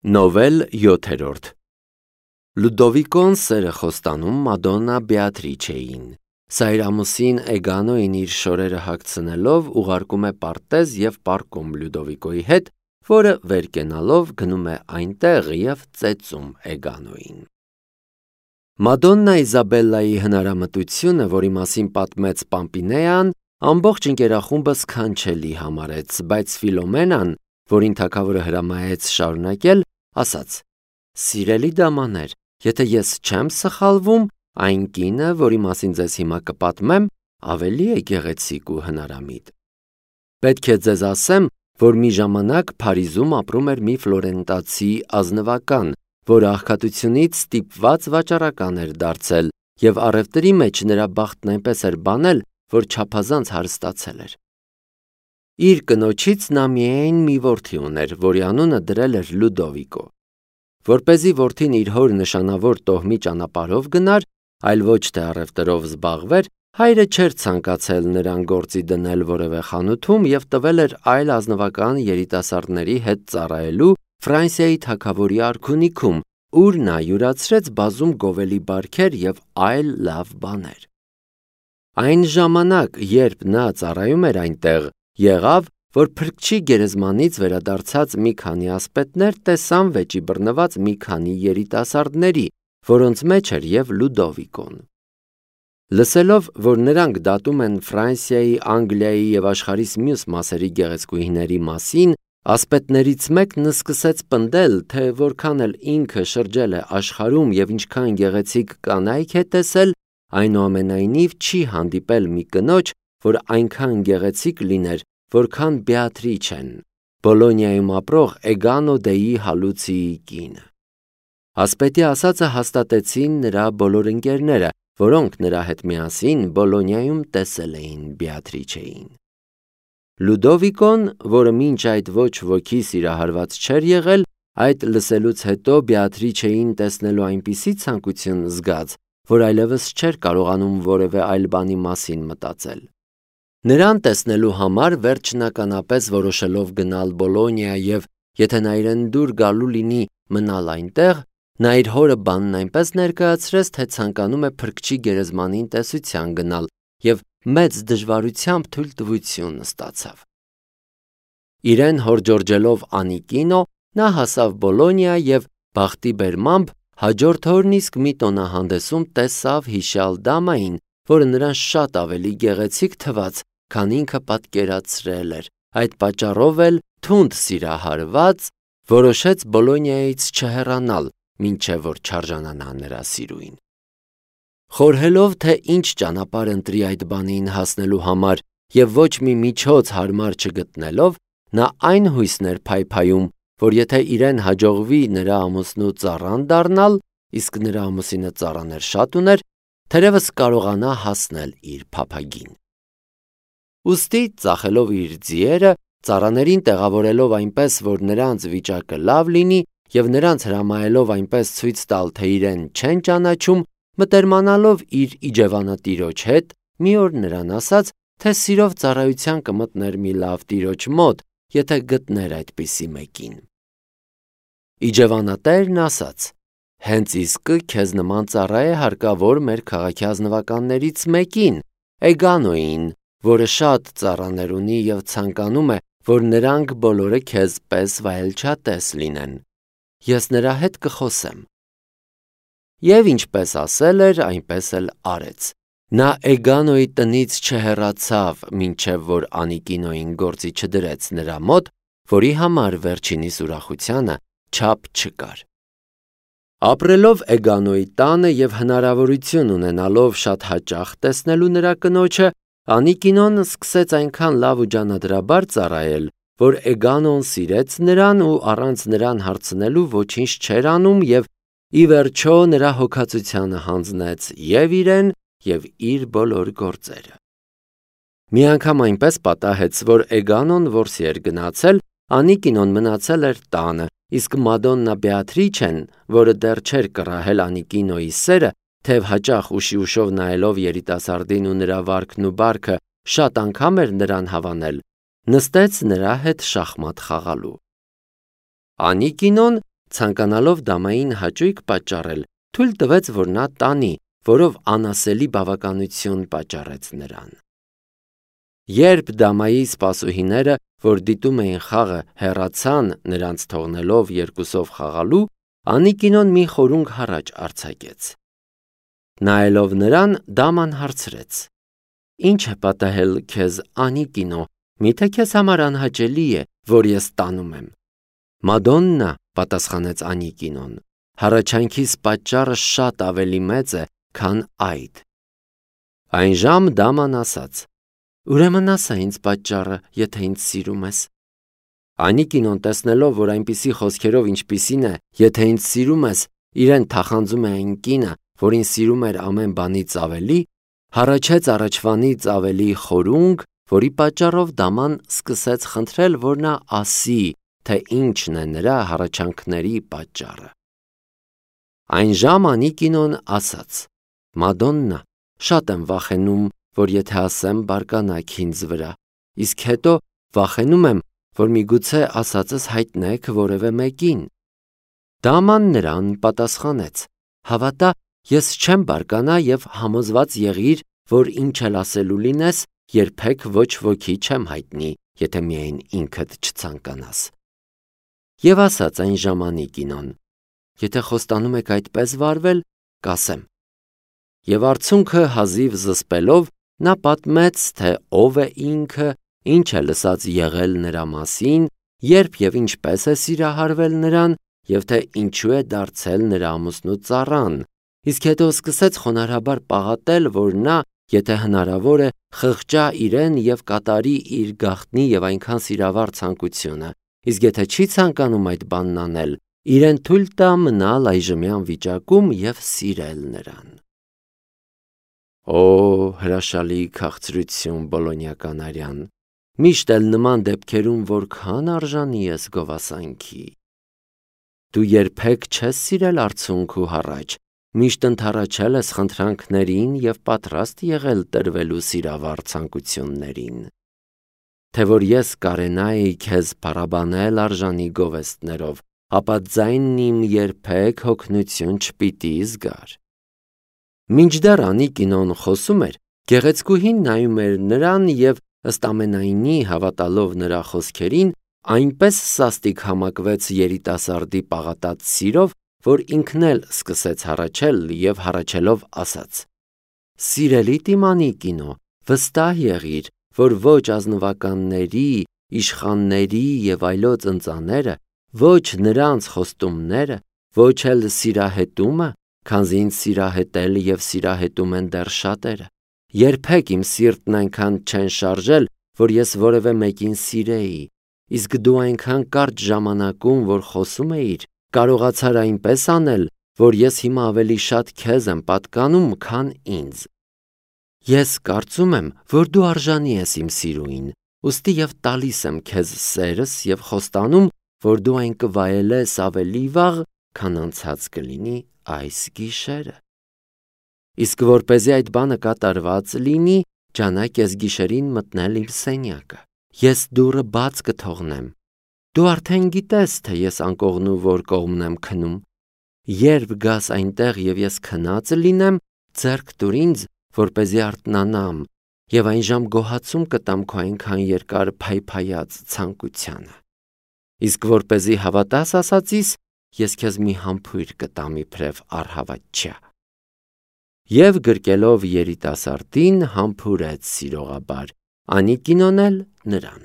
Նովել 7-րդ Լուդովիկոն սերը խոստանում Մադոննա Բեատրիչեին։ Սա իր ամուսին Էգանոին իր շորերը հագցնելով ուղարկում է պարտեզ և պառկում Լյուդովիկոյի հետ, որը վեր կենալով գնում է այնտեղ և ծեծում Էգանոին։ Մադոննա Իզաբելլայի հնարամտությունը, որի մասին պատմեց Պամպինեան, ամբողջ ընկերախումբը սքանչելի համարեց, բայց Ֆիլոմենան, որին թագավորը հրամայեց շարունակել, ասաց. «Սիրելի դամաներ, եթե ես չեմ սխալվում, այն կինը, որի մասին ձեզ հիմա կպատմեմ, ավելի է գեղեցիկ ու հնարամիտ։ Պետք է ձեզ ասեմ, որ մի ժամանակ Փարիզում ապրում էր մի ֆլորենտացի ազնվական, որը աղքատությունից ստիպված վաճառական էր դարձել, և առևտրի մեջ նրա բախտն այնպես էր բանել, որ չափազանց հարստացել էր։ Իր կնոջից նա միայն մի որդի ուներ, որի անունը դրել էր Լուդովիկո։ Որպեսզի որդին իր հոր նշանավոր տոհմի ճանապարհով գնար, այլ ոչ թե առևտրով զբաղվեր, հայրը չէր ցանկացել նրան գործի դնել որևէ խանութում և տվել էր այլ ազնվական երիտասարդների հետ ծառայելու Ֆրանսիայի թագավորի արքունիքում, ուր նա յուրացրեց բազում գովելի բարքեր և այլ լավ բաներ։ Այն ժամանակ, երբ նա ծառայում էր այնտեղ, եղավ, որ փրկչի գերեզմանից վերադարձած մի քանի ասպետներ տեսան վեճի բռնված մի քանի երիտասարդների, որոնց մեջ էր և Լուդովիկոն։ Լսելով, որ նրանք դատում են Ֆրանսիայի, Անգլիայի և աշխարհիս մյուս մասերի գեղեցկուհիների մասին, ասպետներից մեկն սկսեց պնդել, թե որքան էլ ինքը շրջել է աշխարհում և ինչքան գեղեցիկ կանայք է տեսել, այնուամենայնիվ չի հանդիպել մի կնոջ, որ այնքան գեղեցիկ լիներ, որքան Բեատրիչեն, Բոլոնիայում ապրող Էգանո դեի Հալուցիի կինը։ Ասպետի ասածը հաստատեցին նրա բոլոր ընկերները, որոնք նրա հետ միասին Բոլոնիայում տեսել էին Բեատրիչեին։ Լուդովիկոն, որը մինչ այդ ոչ ոքի սիրահարված չէր եղել, այդ լսելուց հետո Բեատրիչեին տեսնելու այնպիսի ցանկություն զգաց, որ այլևս չէր կարողանում որևէ այլ բանի մասին մտածել։ Նրան տեսնելու համար վերջնականապես որոշելով գնալ Բոլոնիա և, եթե նա իրեն դուր գալու լինի մնալ այնտեղ, նա իր հորը բանն այնպես ներկայացրեց, թե ցանկանում է փրկչի գերեզմանին տեսության գնալ և մեծ դժվարությամբ թույլտվություն ստացավ։ Իրեն հորդորջելով անիկինո, նա հասավ Բոլոնիա և բախտի բերմամբ հաջորդ օրն իսկ մի տոնահանդեսում տեսավ հիշյալ դամային, որը նրան շատ ավելի գեղեցիկ թվաց, քան ինքը պատկերացրել էր, այդ պատճառով էլ թունդ սիրահարված որոշեց Բոլոնիայից չհեռանալ, մինչև որ չարժանանա նրա սիրուին։ Խորհելով, թե ինչ ճանապարհ ընտրի այդ բանին հասնելու համար և ոչ մի միջոց հարմար չգտնելով, նա այն հույսն էր փայփայում, որ եթե իրեն հաջողվի նրա ամուսնու ծառան դառնալ, իսկ նրա ամուսինը ծառաներ շատ ուներ, թերևս կարողանա հասնել իր փափագին։ Ուստի, ծախելով իր ձիերը, ծառաներին տեղավորելով այնպես, որ նրանց վիճակը լավ լինի և նրանց հրամայելով այնպես ցույց տալ, թե իրեն չեն ճանաչում, մտերմանալով իր իջևանատիրոջ հետ, մի օր նրան ասաց, թե սիրով ծառայության կմտներ մի լավ տիրոջ մոտ, եթե գտներ այդպիսի մեկին։ Իջևանատերն ասաց. «Հենց իսկը քեզ նման ծառա է հարկավոր մեր քաղաքի ազնվականներից մեկին, Էգանոին, որը շատ ծառաներ ունի և ցանկանում է, որ նրանք բոլորը քեզ պես վայելչատես լինեն։ Ես նրա հետ կխոսեմ»։ Եվ ինչպես ասել էր, այնպես էլ արեց։ Նա Էգանոյի տնից չհեռացավ, մինչև որ անիկինոին գործի չդրեց նրա մոտ, որի համար վերջինիս ուրախությանը չափ չկար։ Ապրելով Էգանոյի տանը և հնարավորություն ունենալով շատ հաճախ տեսնելու նրա կնոջը, Անիկինոն սկսեց այնքան լավ ու ջանադրաբար ծառայել, որ Էգանոն սիրեց նրան ու առանց նրան հարցնելու ոչինչ չէր անում և ի վերջո նրա հոգածությանը հանձնեց և իրեն, և իր բոլոր գործերը։ Մի անգամ այնպես պատահեց, որ Էգանոն որսի էր գնացել, Անիկինոն մնացել էր տանը, իսկ Մադոննա Բեատրիչեն, որը դեռ չէր կռահել Անիկինոյի սերը, թեև հաճախ ուշի ուշով նայելով երիտասարդին ու նրա վարքն ու բարքը շատ անգամ էր նրան հավանել, նստեց նրա հետ շախմատ խաղալու։ Անիկինոն ցանկանալով դամային հաճույք պատճառել, թույլ տվեց, որ նա տանի, որով անասելի բավականություն պատճառեց նրան։ Երբ դամայի սպասուհիները, որ դիտում էին խաղը, հեռացան, նրանց թողնելով երկուսով խաղալու, Անիկինոն մի խորունգ հառաչ արձակեց։ Նայելով նրան, դաման հարցրեց. «Ինչ է պատահել քեզ, Անիկինո, միթե քեզ համար անհաճելի է, որ ես տանում եմ»։ «Մադոննա», պատասխանեց Անիկինոն, «հառաչանքիս պատճառը շատ ավելի մեծ է, քան այդ»։ Այն ժամ դաման ասաց. «Ուրեմն ասա ինձ պատճառը, եթե ինձ սիրում ես»։ Անիկինոն տեսնելով, որ այնպիսի խոսքերով ինչպիսին է, եթե ինձ սիրում ես, իրեն թախանձում է այն կինը, որին սիրում էր ամեն բանից ավելի, հառաչեց առաջվանից ավելի խորունգ, որի պատճառով դաման սկսեց խնդրել, որ նա ասի, թե ինչն է նրա հառաչանքների պատճառը։ Այն ժամ Անիկինոն ասաց. «Մադոննա, շատ եմ վախենում, որ եթե ասեմ բարկանաք ինձ վրա, իսկ հետո վախենում եմ, որ միգուցե ասածս հայտնեք որևէ մեկին»։ Դաման նրան պատասխանեց. «Հավատա, ես չեմ բարկանա և համոզված եղիր, որ ինչ էլ ասելու լինես, երբեք ոչ ոքի չեմ հայտնի, եթե միայն ինքդ չցանկանաս»։ Եվ ասաց այն ժամ Անիկինոն. «Եթե խոստանում եք այդպես վարվել, կասեմ»։ Եվ արցունքը հազիվ զսպելով, նա պատմեց, թե ով է ինքը, ինչ է լսած եղել նրա մասին, երբ և ինչպես է սիրահարվել նրան, և թե ինչու է դարձել նրա ամուսնու ծառան, իսկ հետո սկսեց խոնարհաբար պաղատել, որ նա, եթե հնարավոր է, խղճա իրեն և կատարի իր գաղտնի և այնքան սիրավառ ցանկությունը, իսկ եթե չի ցանկանում այդ բանն անել, իրեն թույլ տա մնալ այժմյան վիճակում և սիրել նրան։ Օ, հրաշալի քաղցրություն, Բոլոնիական արյան, միշտ էլ նման դեպքերում որքան արժանի ես գովասանքի։ Դու երբեք չես սիրել արցունք ու հառաչ, միշտ ընդառաջել ես խնդրանքներին և պատրաստ եղել տրվելու սիրավառ ցանկություններին։ Թե որ ես կարենայի քեզ փառաբանել արժանի գովեստներով, ապա ձայնն իմ երբեք հոգնություն չպիտի զգար։ Մինչդեռ Անիկինոն խոսում էր, գեղեցկուհին նայում էր նրան և ըստ ամենայնի հավատալով նրա խոսքերին, այնպես սաստիկ համակվեց երիտասարդի պաղատած սիրով, որ ինքն էլ սկսեց հառաչել և հառաչելով ասաց. «Սիրելի տիմ Անիկինո, վստահ եղիր, որ ոչ ազնվականների, իշխանների և այլոց ընծաները, ոչ նրանց խոստումները, ոչ էլ սիրահետումը, քանզի ինձ սիրահետել և սիրահետում են դեռ շատերը, երբեք իմ սիրտն այնքան չեն շարժել, որ ես որևէ մեկին սիրեի, իսկ դու այնքան կարճ ժամանակում, որ խոսում էիր, կարողացար այնպես անել, որ ես հիմա ավելի շատ քեզ եմ պատկանում, քան ինձ։ Ես կարծում եմ, որ դու արժանի ես իմ սիրուին, ուստի և տալիս եմ քեզ սերս և խոստանում, որ դու այն կվայելես ավելի վաղ, քան անցած կլինի այս գիշերը։ Իսկ որպեսզի այդ բանը կատարված լինի, ջանակ ես գիշերին մտնել իմ սենյակը, ես դուռը բաց կթողնեմ։ Դու արդեն գիտես, թե ես անկողնու որ կողմն եմ քնում։ Երբ գաս այնտեղ և ես քնած լինեմ, ձեռք տուր ինձ, որպեսզի արթնանամ, և այն ժամ գոհացում կտամ քո այնքան երկար փայփայած ցանկությանը։ Իսկ որպեսզի հավատաս ասածիս, ես քեզ մի համբույր կտամ իբրև առհավատչյա։ Եվ գրկելով երիտասարդին համբուրեց սիրողաբար, Անիկինոն էլ նրան։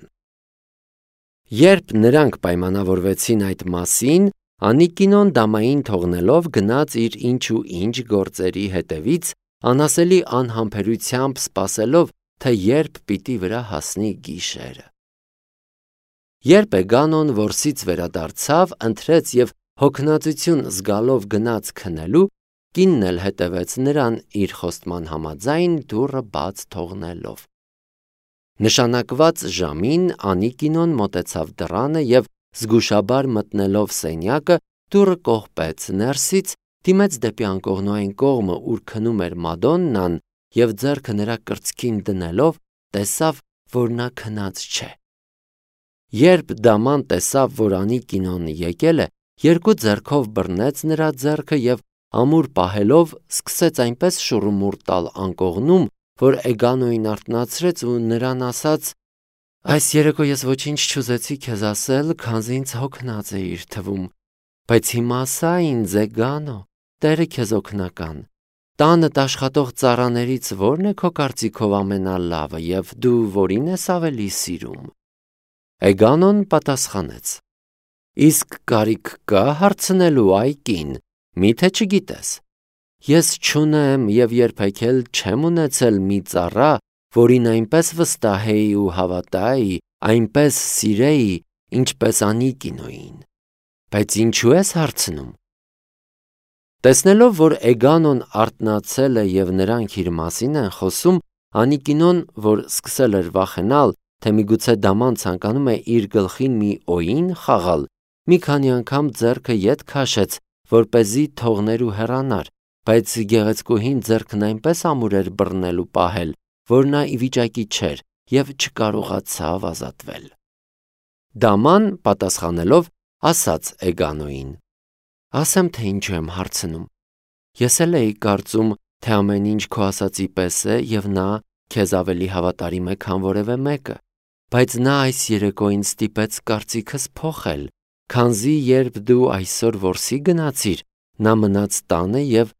Երբ նրանք պայմանավորվեցին այդ մասին, Անիկինոն դամային թողնելով գնաց իր ինչ ու ինչ գործերի հետևից, անասելի անհամբերությամբ սպասելով, թե երբ պիտի վրա հասնի գիշերը։ Երբ Էգանոն որսից վերադարձավ, ընթրեց և հոգնածություն զգալով գնաց քնելու, կինն էլ հետևեց նրան իր խոստման համաձայն դուռը բաց թողնելով։ Նշանակված ժամին Անիկինոն մոտեցավ դռանը և զգուշաբար մտնելով սենյակը, դուռը կողպեց ներսից, դիմեց դեպի անկողնու այն կողմը, ուր քնում էր Մադոննան, և ձեռքը նրա կրծքին դնելով, տեսավ, որ նա քնած չէ։ Երբ դաման տեսավ, որ Անիկինոն եկել է, երկու ձեռքով բռնեց նրա ձեռքը և ամուր պահելով սկսեց այնպես շուռումուռ տալ անկողնում, որ Էգանոյին արթնացրեց ու նրան ասաց. «Այս երեկո ես ոչինչ չուզեցի քեզ ասել, քանզի ինձ հոգնած էիր թվում, բայց հիմա ասա ինձ, Էգանո, Տերը քեզ օգնական, տանդ աշխատող ծառաներից ո՞րն է քո կարծիքով ամենալավը և դու որին ես ավելի սիրում»։ Էգանոն պատասխանեց. «Իսկ կարիք կա հարցնելու, այ կին, միթե չգիտես, ես չունեմ և երբեք էլ չեմ ունեցել մի ծառա, որին այնպես վստահեի ու հավատայի, այնպես սիրեի, ինչպես Անիկինոյին, բայց ինչու ես հարցնում»։ Տեսնելով, որ Էգանոն արթնացել է և նրանք իր մասին են խոսում, Անիկինոն, որ սկսել էր վախենալ, թե միգուցե Դաման ցանկանում է իր գլխին մի օին խաղալ, մի քանի անգամ ձեռքը ետ քաշեց, որպեսզի թողներ ու հեռանար, բայց գեղեցկուհին ձեռքն այնպես ամուր էր բռնել ու պահել, որ նա ի վիճակի չէր և չկարողացավ ազատվել։ Դաման պատասխանելով ասաց Էգանոյին. «Ասեմ, թե ինչու եմ հարցնում, ես էլ էի կարծում, թե ամեն ինչ քո ասածի պես է և նա քեզ ավելի հավատարիմ է, քան որևէ մեկը, բայց նա այս երեկո ինձ ստիպեց կարծիքս փոխել, քանզի երբ դու այսօր որսի գնացիր, նա մնաց տանը և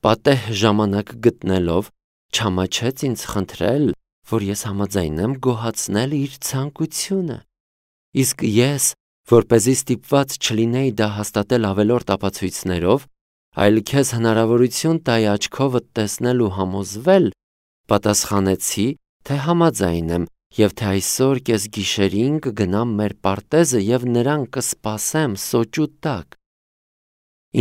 պատեհ ժամանակ գտնելով չամաչեց ինձ խնդրել, որ ես համաձայնեմ գոհացնել իր ցանկությունը, իսկ ես, որպեսզի ստիպված չլինեի դա հաստատել ավելորդ ապացույցներով, այլ քեզ հնարավորություն տայի աչքովդ տեսնել ու համոզվել, պատասխանեցի, թե համաձայն եմ և թե այսօր կեսգիշերին կգնամ մեր պարտեզը և նրան կսպասեմ սոճու տակ։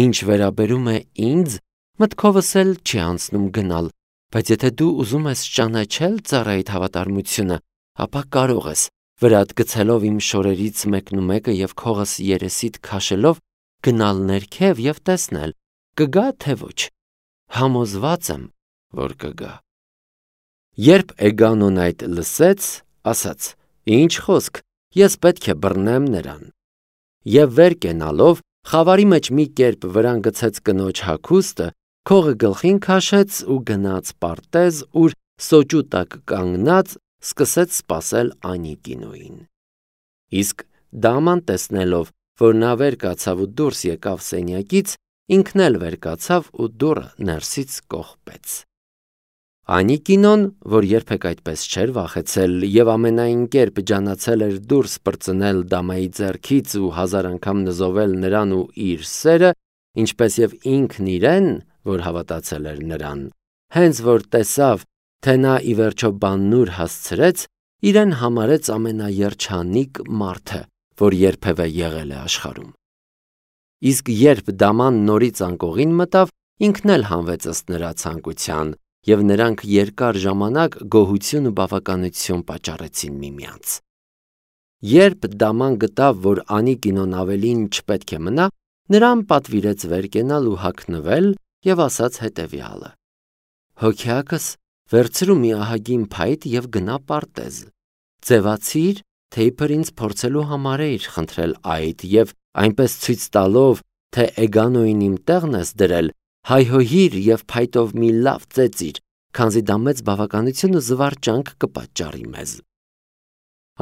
Ինչ վերաբերում է ինձ, մտքովս էլ չի անցնում գնալ, բայց եթե դու ուզում ես ճանաչել ծառայիդ հավատարմությունը, ապա կարող ես, վրատ գցելով իմ շորերից մեկնումեկը և քողս երեսիդ քաշելով, գնալ ներքև և տեսնել, կգա թե ոչ։ Համոզված եմ, որ կգա։ Երբ Էգանոն այդ լսեց, ասաց. «Ինչ խոսք, ես պետք է բռնեմ նրան»։ Եվ վեր կենալով խավարի մեջ մի կերպ վրան գցեց կնոջ հագուստը, քողը գլխին քաշեց ու գնաց պարտեզ, ուր սոճու տակ կանգնած սկսեց սպասել Անիկինոյին։ Իսկ Դաման տեսնելով, որ նա վեր կացավ ու դուրս եկավ սենյակից, ինքն էլ վեր կացավ ու դուռը ներսից կողպեց։ Անիկինոն, որ երբեք այդպես չէր վախեցել և ամենայն կերպ ջանացել էր դուրս պրծնել Դամայի ձեռքից ու հազար անգամ նզովել նրան ու իր սերը, ինչպես և ինքն իրեն, որ հավատացել էր նրան, հենց որ տեսավ, թե նա ի վերջո բաննուր հասցրեց, իրեն համարեց ամենաերջանիկ մարդը, որ երբևէ եղել է աշխարհում։ Իսկ երբ Դաման նորից անկողին մտավ, ինքն էլ հանվեց ըստ նրա ցանկության, և նրանք երկար ժամանակ գոհություն ու բավականություն պատճառեցին միմյանց։ Երբ Դաման գտավ, որ Անիկինոն ավելին չպետք է մնա, նրան պատվիրեց վեր կենալ ու հագնվել և ասաց հետևյալը. «Հոգյակս, վերցրու մի ահագին փայտ և գնա պարտեզ, ձևացիր, թե իբր ինձ փորձելու համար էիր խնդրել այդ և այնպես ցույց տալով, թե Էգանոյին իմ տեղն ես դրել, հայհոյիր և փայտով մի լավ ծեծիր, քանզի դա մեծ բավականություն ու զվարճանք կպատճառի մեզ»։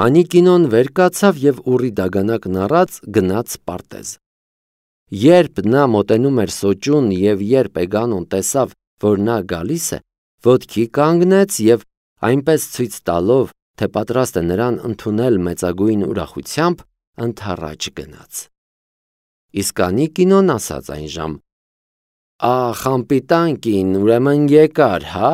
Անիկինոն վեր կացավ և ուռի դագանակն առած գնաց պարտեզ։ Երբ նա մոտենում էր սոճուն և երբ Էգանոն տեսավ, որ նա գալիս է, ոտքի կանգնեց և այնպես ցույց տալով, թե պատրաստ է նրան ընդունել մեծագույն ուրախությամբ, ընդառաջ գնաց։ Իսկ Անիկինոն ասաց այնժամ. «Ախ, անպիտան կին, ուրեմն եկար, հա՞։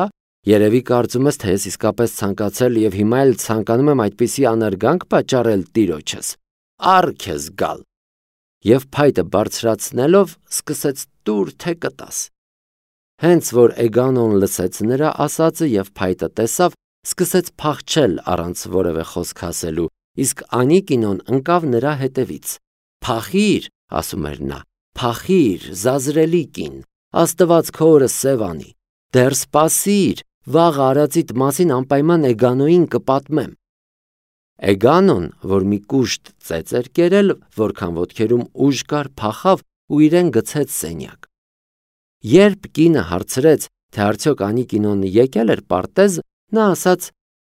Երևի կարծում ես, թե ես իսկապես ցանկացել և հիմա էլ ցանկանում եմ այդպիսի անարգանք պատճառել տիրոջս։ Առ քեզ գալ»։ Եվ փայտը բարձրացնելով սկսեց տուր թե կտաս։ Հենց որ Էգանոն լսեց նրա ասածը և փայտը տեսավ, սկսեց փախչել առանց որևէ խոսք ասելու, իսկ Անիկինոն ընկավ նրա հետևից։ «Փախիր», ասում էր նա, «փախիր, զազրելի կին, Աստված քո օրը սև անի, դեռ սպասիր, վաղը արածիդ մասին անպայման Էգանոյին կպատմեմ»։ Էգանոն, որ մի կուշտ ծեծ էր կերել, որքան ոտքերում ուժ կար, փախավ ու իրեն գցեց սենյակ։ Երբ կինը հարցրեց, թե արդյոք Անիկինոն եկել էր պարտեզ, նա ասաց.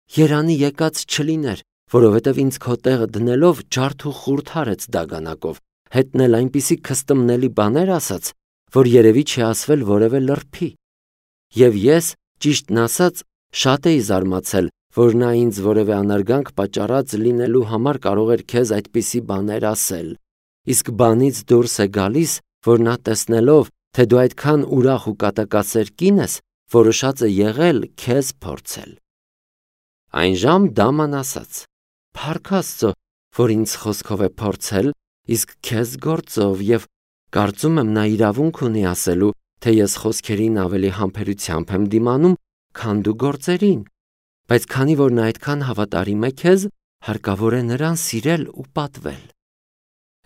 «Երանի եկած չլիներ, որովհետև ինձ քո տեղը դնելով ջարդ ու խուրդ հարեց դագանակով, հետն էլ այնպիսի քստմնելի բաներ ասաց, որ երևի չի ասվել որևէ լրբի։ Եվ ես, ճիշտն ասած, շատ էի զարմացել, որ նա ինձ որևէ անարգանք պատճառած լինելու համար կարող էր քեզ այդպիսի բաներ ասել, իսկ բանից դուրս է գալիս, որ նա տեսնելով, թե դու այդքան ուրախ ու կատակասեր կին ես, որոշած է եղել քեզ փորձել»։ Այնժամ դաման ասաց. «Փառք Աստծո, որ ինձ խոսքով է փորձել, իսկ քեզ գործով, եւ կարծում եմ նա իրավունք ունի ասելու, թե ես խոսքերին ավելի համբերությամբ եմ դիմանում, քան դու գործերին, բայց քանի որ նա այդքան հավատարիմ է քեզ, հարկավոր է նրան սիրել ու պատվել»։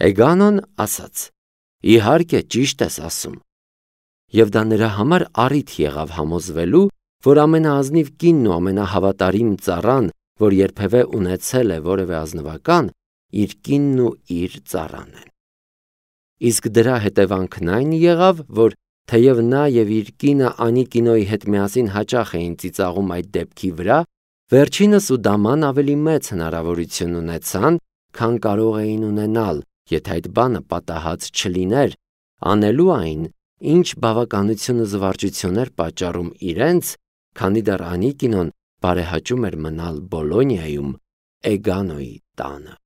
Էգանոն ասաց. «Իհարկե, ճիշտ ես ասում»։ Եվ դա նրա համար առիթ եղավ համոզվելու, որ ամենաազնիվ կինն ու ամենահավատարիմ ծառան, որ երբևէ ունեցել է որևէ ազնվական, իր կինն ու իր ծառան են։ Իսկ դրա հետևանքն այն եղավ, որ թեև նա եւ իր կինը Անիկինոյի հետ միասին հաճախ էին ծիծաղում այդ դեպքի վրա, վերջինս ու դաման ավելի մեծ հնարավորություն ունեցան, քան կարող էին ունենալ, եթե այդ բանը պատահած չլիներ, անելու այն, ինչ բավականություն ու զվարճություն էր պատճառում իրենց, քանի դեռ Անիկինոն բարեհաճում էր մնալ Բոլոնիայում Էգանոյի տանը։